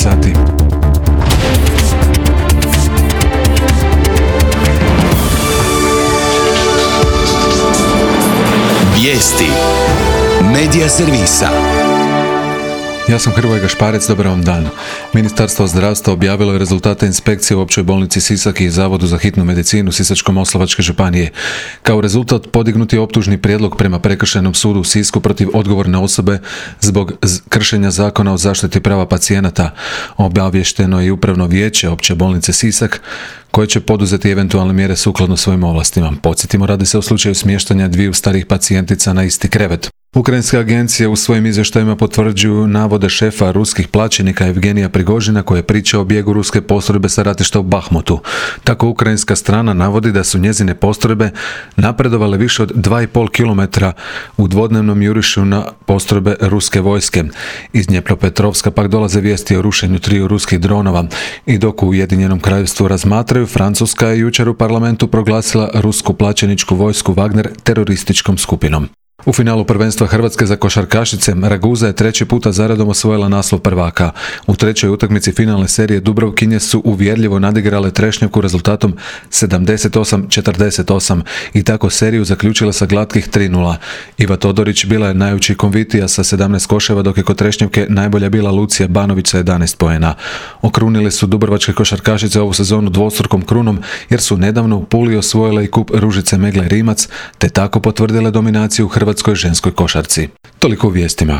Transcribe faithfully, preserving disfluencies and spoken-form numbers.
sati. Vijesti Medija servisa. Ja sam Hrvoje Gašparec, dobar vam dan. Ministarstvo zdravstva objavilo je rezultate inspekcije u Općoj bolnici Sisak i Zavodu za hitnu medicinu Sisačko-moslavačke županije. Kao rezultat podignut je optužni prijedlog prema Prekršajnom sudu u Sisku protiv odgovorne osobe zbog kršenja zakona o zaštiti prava pacijenata. Obavješteno je i upravno vijeće Opće bolnice Sisak, koje će poduzeti eventualne mjere sukladno svojim ovlastima. Podsjetimo, radi se o slučaju smještanja dviju starih pacijentica na isti krevet. Ukrajinske agencije u svojim izvještajima potvrđuju navode šefa ruskih plaćenika Evgenija Prigožina, koji je pričao o bijegu ruske postrojbe sa ratišta u Bahmutu. Tako ukrajinska strana navodi da su njezine postrojbe napredovale više od dva i pol kilometra u dvodnevnom jurišu na postrojbe ruske vojske. Iz Dnjepropetrovska pak dolaze vijesti o rušenju triju ruskih dronova. I dok u Ujedinjenom kraljevstvu razmatraju, Francuska je jučer u parlamentu proglasila rusku plaćeničku vojsku Wagner terorističkom skupinom. U finalu prvenstva Hrvatske za košarkašice Raguza je treći puta zaredom osvojila naslov prvaka. U trećoj utakmici finalne serije Dubrovkinje su uvjerljivo nadigrale Trešnjevku rezultatom sedamdeset osam četrdeset osam i tako seriju zaključila sa glatkih tri nula. Iva Todorić bila je najučinkovitija sa sedamnaest koševa, dok je kod Trešnjevke najbolja bila Lucija Banović sa jedanaest poena. Okrunili su dubrovačke košarkašice ovu sezonu dvostrukom krunom, jer su nedavno u Puli osvojile i kup Ružice Megle Rimac, te tako potvrdile dominaciju u Hrvatskoj ženskoj košarci. Toliko u vijestima.